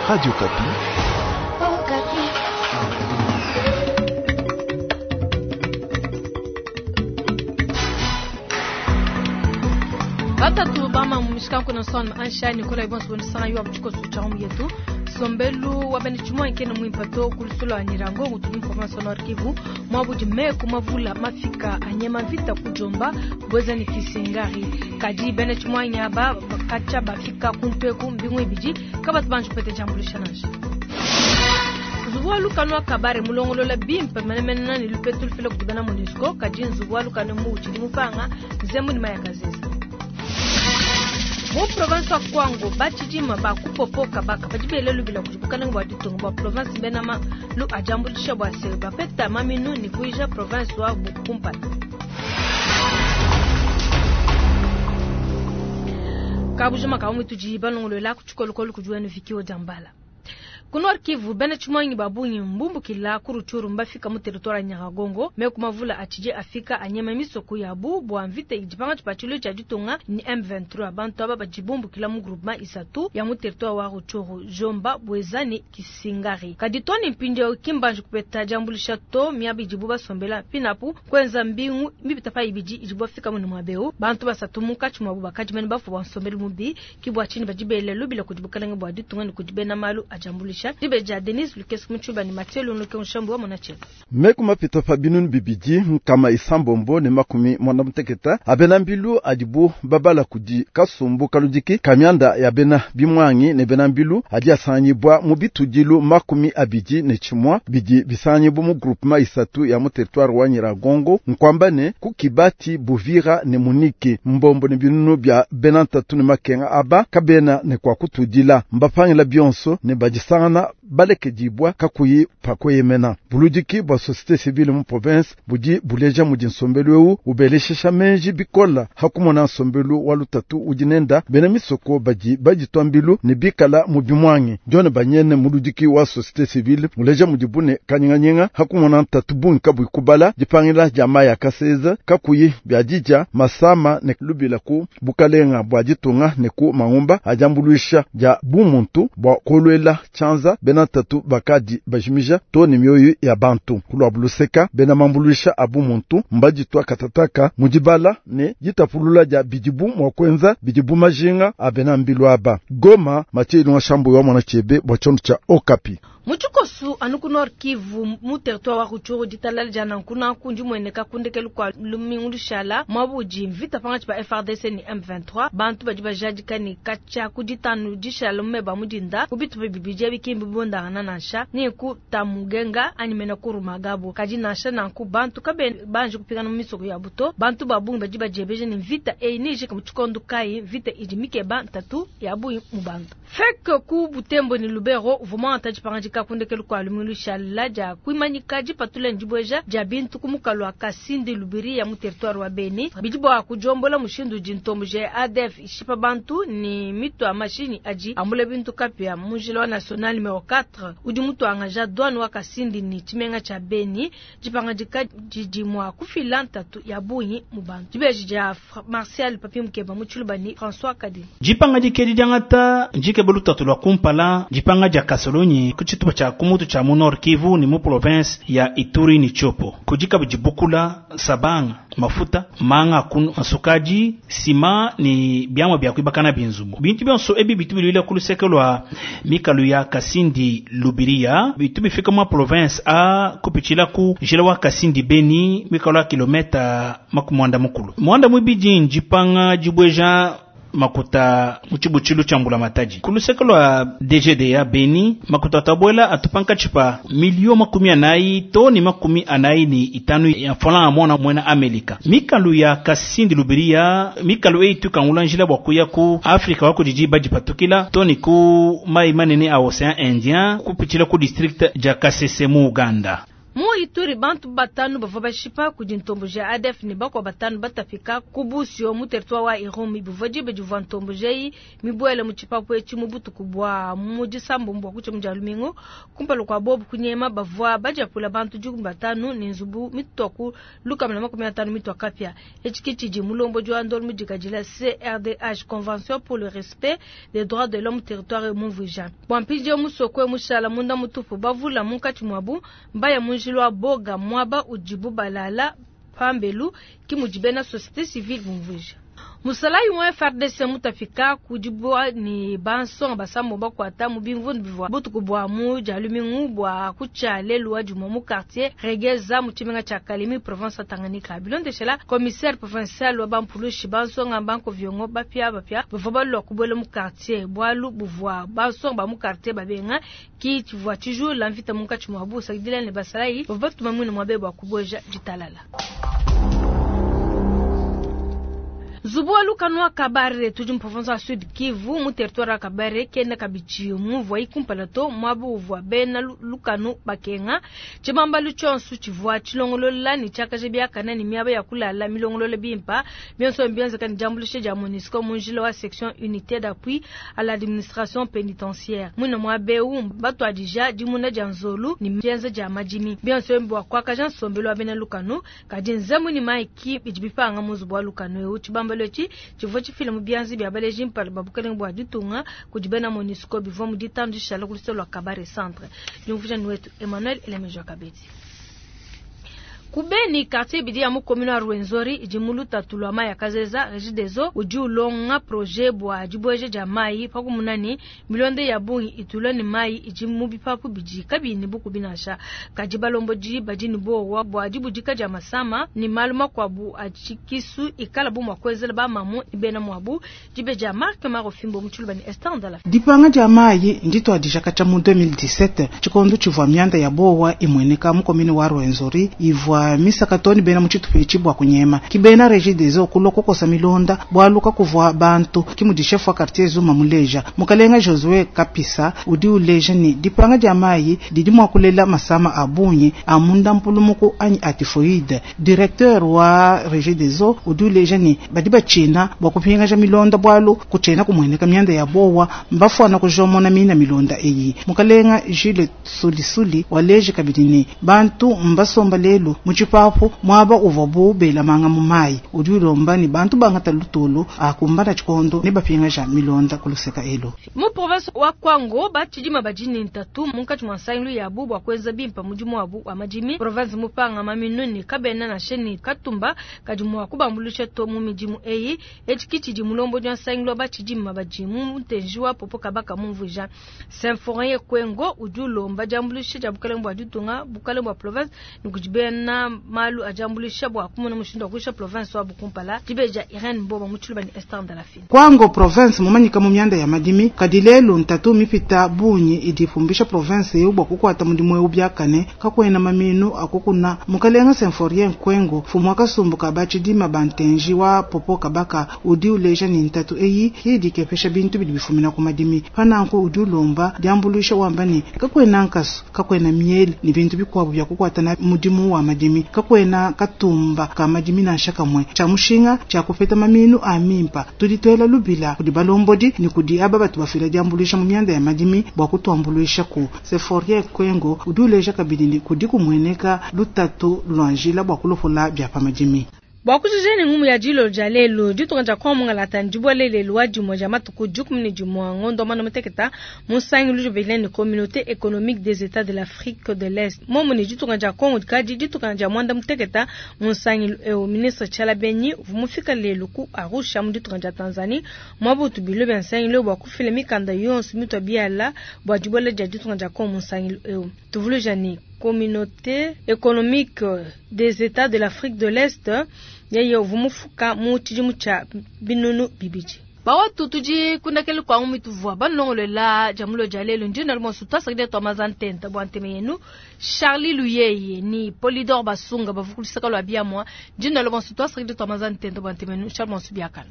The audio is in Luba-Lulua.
Radio Okapi. Batatu bama mumishikanku na son ansha Nicolas Ibonso bonisanga yo abuchiko sucha yetu sombelu wa bene chimwa nkene mwimpa to kulusolo anyirango ngutuli information Nord Kivu mwabudi meku mavula mafika anyema vita kujomba bweza ni kisingari kadi bene chimwa nyaba kacha bafika kuntweku mbingu ibidi kabatu banju pete jambulisha nansha nzubu wa lukanu wa kabare mulongolola bimpe menemene nani lupetu lufila kudibana MONUSCO kadi nzubu wa lukanu mu utshidi mupanga nzembu ni mayakazeza mu province wa Kwango batshidima bakupopoka baka badi bele lubila kudi bukalenge bua ditunga bua province bena malu ajambulisha bua se bapeta maminu ni kuija province wa bukumpala. Kabujuma kaumwe tudi balongolola ku tshikolokolo kudi wenu Vikio Jambala. Ku Nord Kivu bena tshimuangi babungi mbumbukila ku Rutshuru mbafika mu territoire ya Nyiragongo meku mavula atshidi afika anyema misoko yabu bua mvita idi pangatshi pa tshilu tshia ditunga ni M23. Bantu aba badi bumbukila mu groupement isatu ya mu territoire wa Rutshuru, Jomba, Bweza ni Kisingari. Kadi to ni mpindieu ki mbanji kupeta diambulisha to miaba idibu basombela pinapu kuenza mbingu mipita pa ibidi idibu bafika mu muabeu. Bantu basatu munkatshi muabu bakadi mene bafua bua nsombelu mubi ki bua tshinyi badi bele lubila kudi bukalenge bua ditunga ne kudi bena malu ajambulisha. Dibeja Denis Lukeso Mutshuba ni Mathieu Lunuke Nshambu wa Monachela. Meku mapita pa binunu bibidi nkama isambombo ne makumi mwanda muteketa abena mbilu adibu babala kudi kasumbu kaludiki kamianda ya bena bimwangi ne bena mbilu adi asangibwa mu bitudilu makumi abidi ne chimwa bidi bisangibwa mu groupement isatu ya mu territoire wa Nyiragongo nkwamba ne ku Kibati, Buvira ne Munike mbombo ne binunu bya bena ntatu ne makenga aba kabena ne kwa kutudila mbapangila bionso ne badisangana balekedibwa kakuyi pakweyemena. Buludiki bwa société civile mu province budi buleja mudi nsombelu eu ubeleshesha menji bikola hakumona nsombelu wa lutatu udi nenda bena misoko badi baditwa mbilu ne bikala mu bimwangi. John Banyene muludiki wa société civile muleja mudi bune kanyinganyinga hakumona ntatu bungi kabui kubala dipangila dia maya kaseza kakuyi bya dija masama ne lubila ku bukalenga bwa ditunga ne ku mangumba ajambuluisha dia bumuntu bwa kolwela chanza bena tatu bakadi bajimija to ne mioyo ya bantu kulwa buluseka bena mambuluisha abu muntu mbaditwa katataka mudibala ne ditapulula dia bidibu mwa kwenza bidibu majinga abena mbilu aba. Goma Mathieu Ilunga Shambu wa mwana chebe bwa chondo cha Okapi. Muchikosu anu ku Nord Kivu mu territoire wa Rutshuru ditalala dia nanku nanku ndi mueneka kundekelu kua lumingu lushala mwabudi mvita pangatshi pa FARDC ni M23 bantu badi bajadika ni katshia ku ditanu dishala mumeba mudinda ku bitupa bibidi ebi ki mbibondangana nansha ni ku Tamugenga anyi mena ku Rumagabo. Kadi nansha nanku bantu kabe banji kupingana mu misoko ya buto bantu ba bungi badi badiebeja ni mvita eyi ni ijika mu tshikondo kayi mvita idi mikeba ntatu ya bungi mu bantu. Fek ku Butembo ni Lubero uvua muangata dipangadika kundekelu kua lumingu lushala dia kuimanyika dipatula ndibweja dia bintu ku mukalu wa Kasindi Lubiri ya mu territoire wa Beni bidi bua kujombola mushindu udi ntombo ja ADF ishipa bantu ni mitu ya mashini adi ambula bintu kapia mu njila wa national numero 4 udi mutuangaja douane wa Kasindi ni tshimenga tshia Beni dipangadika didi mua kufila ntatu ya bungi mu bantu. Dibeji dia Martial Papi Mukeba mu Tshiluba ni François Kadi. Dipangadika edi diangata ndikeba lutatu lua kumpala dipanga dia Kasolonyi ku tshitupa tshia kumutu tshia mu Nord Kivu ni mu province ya Ituri ni Tshopo. Kudi kabidi bukula, sabanga, mafuta, manga kunu, masukadi, sima ni biamwa bia kuibakana binzubu. Bintu bionso ebi bitu bilwila ku luseke lua mikalu ya Kasindi Lubiria, bitu bifika mu province a kupitshila ku njila wa Kasindi Beni mikalu ya kilometa makumi mwanda mukulu. Mwanda mwibidi ndipanga dibweja makuta mu tshibutshilu tshia mbula matadi. Ku luseke lua DGDA Beni, makuta atabwela atupanka tshipa milio makumi anayi to ni makumi anayi ni itanu ya franc mwana mwena Amerika. Mikalu ya Kasindi Lubiria, mikalu eyi tukangula njila bua kuya ku Afrika wa kudidi badipatukila to ni ku mai manene a Ocean Indien kupitshila ku district dia Kasese mu Uganda. Mu Ituri, bantu batanu bavua bashipa kudi ntomboji ya ADF ne bakua batanu batapika ku Busio mu territoire wa Irumu. Bivua diba divua ntomboji eyi mibuele mu tshipapu etshi mu butuku bua mu disambombo bua kutshia mu dia lumingu. Kumpala kua bobu kunyema, bavua badiapula bantu 15 ne nzubu mitua ku 150 mitua kapia. Etshi ke tshidi mulombodi wa ndolo mudikadila CRDH, Convention pour le respect des droits de l'homme territoire mumvuija. Bua mpindieu musoko mushala munda mutupu, bavula munkatshi muabu mbaya mu njila wa Boga, muaba udibu balala pambelu, ke mudi bena société civile bumvuija. Musalayi wa FARDC mutapika kudibua ne bansonga basambo bakuata mu bimvundu bivua butuku bua mu dia lumingu bua kutshia lelu wa dimue mu quartier Regeza mu tshimenga tshia Kalemi, province ya Tanganyika. Bilondeshela commissaire provincial wa bampulushi, bansonga bankoviongo bapia bapia bavua balua kubuela mu quartier bualu buvua bansonga ba mu quartier babenga ki tshivua tshijula mvita munkatshi muabu. Sakidila ne basalayi bavua batuma muine muabe bua kubueja ditalala. Nzubu wa lukanu wa Kabare tudi mu province wa Sud Kivu mu territoire wa Kabare kena kabidi muvua kumpala to muaba uvua bena lukanu bakenga. Tshibambalu tshionso tshivua tshilongolola ne tshiakaja biakane ne miaba ya kulala milongolola bimpa. Bionso bienzeka ne diambuluisha dia MONUSCO mu njila wa section unité d'appui à l'administration pénitentiaire. Muine muaba eu batuadija dimuna dia nzolu ne dienza dia madimi. Bionso bua kuakaja nsombelu wa bena lukanu. Kadi nzembu ne maiki bidi bipanga mu nzubu wa lukanu eu. Tshibambalu etshi tshivua tshifila mu bianza bia baleji mpala ba bukalenge bua ditunga kudi bena MONUSCO bivua mu ditanu dishala ku luseke lua Kabare Centre. Diumvuija ni wetu Emmanuel Elemejo Kabedi. Ku Beni, quartier ibidi ya mu commune wa Rwenzori idi mu lutatu lua mayi a kazeza. Regideso udi ulonga projet bua dibueja dia mayi pakumuna ne milonda ya bungi itulwa ne mayi idi mu bipapu bidi kabiyi ne bukubi nansha. Kadi balombodi badi ne buowa bua dibudika dia masama ne malu makuabu a tshikisu ikala bu mua kuenzela bamamu ne bena muabu. Dibe dia Marc Marofimbo mu Tshiluba ne Esther Ndala. Dipanga dia mayi ndituadija katshia mu 2017 tshikondo tshivua mianda ya buowa imueneka mu commune wa Rwenzori ivua misaka too ne bena mu tshitupa etshi bua kunyema. Ki bena Regideso kulua kukosa milonda bualu kakuvua bantu, ki mudi chef wa quartier Zuma muleja. Mukalenga Josue Kapisa udi uleja ne dipanga dia mayi didi mua kulela masama a bungi a munda mpulumuku anyi a typhoïde. Directeur wa Regideso udi uleja ne badi batshina bua kupingaja milonda bualu kutshiena kumueneka mianda ya bowa mbafuana kujomona mina milonda eyi. Mukalenga Jules Sulisuli waleje kabidi ne bantu mbasomba lelu mu tshipapu muaba uvua bu belamanga mu mayi. Udi ulomba ne bantu bangata lutulu akumbana tshikondo ne bapingaja milonda ku luseka elu. Mu province wa Kwango batshidima badi ne ntatu munkatshi mua nsangilu yabu bua kuenza bimpa mudimu wabu wa madimi. Province mupanga maminu ne kabena nansha ne katumba kadi mua kubambuluisha to mu midimu eyi. Etshi ki tshidi mulombodi wa nsangilu wa batshidima badi mu ntenji wa Popo Kabaka mumvuija. Symphorien Kwengo udi ulomba diambuluisha dia bukalenge bua ditunga, bukalenge bua province ne kudi bena malu a diambuluisha bua kumona mushindu wa kuyisha province wabu kumpala. Dibe dia Irene Mboma mu Tshiluba ne Esther Ndalafine. Kwango province mumanyika mu mianda ya madimi kadi lelu ntatu mipita bungi idi ipumbisha province eu bua kukuata mudimu eu biakane kakuena maminu akukuna. Mukalenga Symphorien Kwengo mfumu wa kasumbu ka batshidima ba ntenji wa Popo Kabaka udi uleja ne ntatu eyi idi ikepesha bintu bidi bifumina ku madimi. Pananku udi ulomba diambuluisha wamba ne kakuena nkasu, kakuena miele ne bintu bikuabu bia kukuata na mudimu wa madimi, kakuena katumba ka madimi nansha kamwe. Tshia mushinga tshia kupeta maminu a mimpa tudi tuela lubila kudi balombodi ne kudi aba batu bafila diambuluisha mu mianda ya madimi bua kutuambuluisha ku. Symphorien Kwengo udi uleja kabidi ne kudi kumueneka lutatu lua njila bua kulopola bia pa madimi. Bua kujija ne ngumu ya dilo dia lelu, ditunga dia Kongo mungalata ndibuele lelu wa dimue dia matuku 11 ngondo mwana muteketa mu nsangilu udi ne Communauté économique des États de l'Afrique de l'Est. Momu ne ditunga dia Kongo dikadi ditunga dia mwanda muteketa mu nsangilu eu. Ministre Tshiala Benyi uvua mufika lelu ku Arusha mu ditunga dia Tanzanie mwabutu bilo bia nsangilu bua kufila mikanda yonso mitua biala bua dibuela dia ditunga dia Kongo mu nsangilu eu. Tuvuluija ne Communauté économique des États de l'Afrique de l'Est yeye uvua mufuka mu tshidimu tshia binunu bibidi. Bawatu tudi kundakele kwa mituvua banongolola jamulo dia lelu ndi na lumonso twasakidila twa mazantenta bua nteme yenu Charlie Luyeye ni Polydor Basunga bavukulisaka lwa biamwa ndi na lumonso twasakidila twa mazantenta bua nteme yenu Charles Monsu biakana.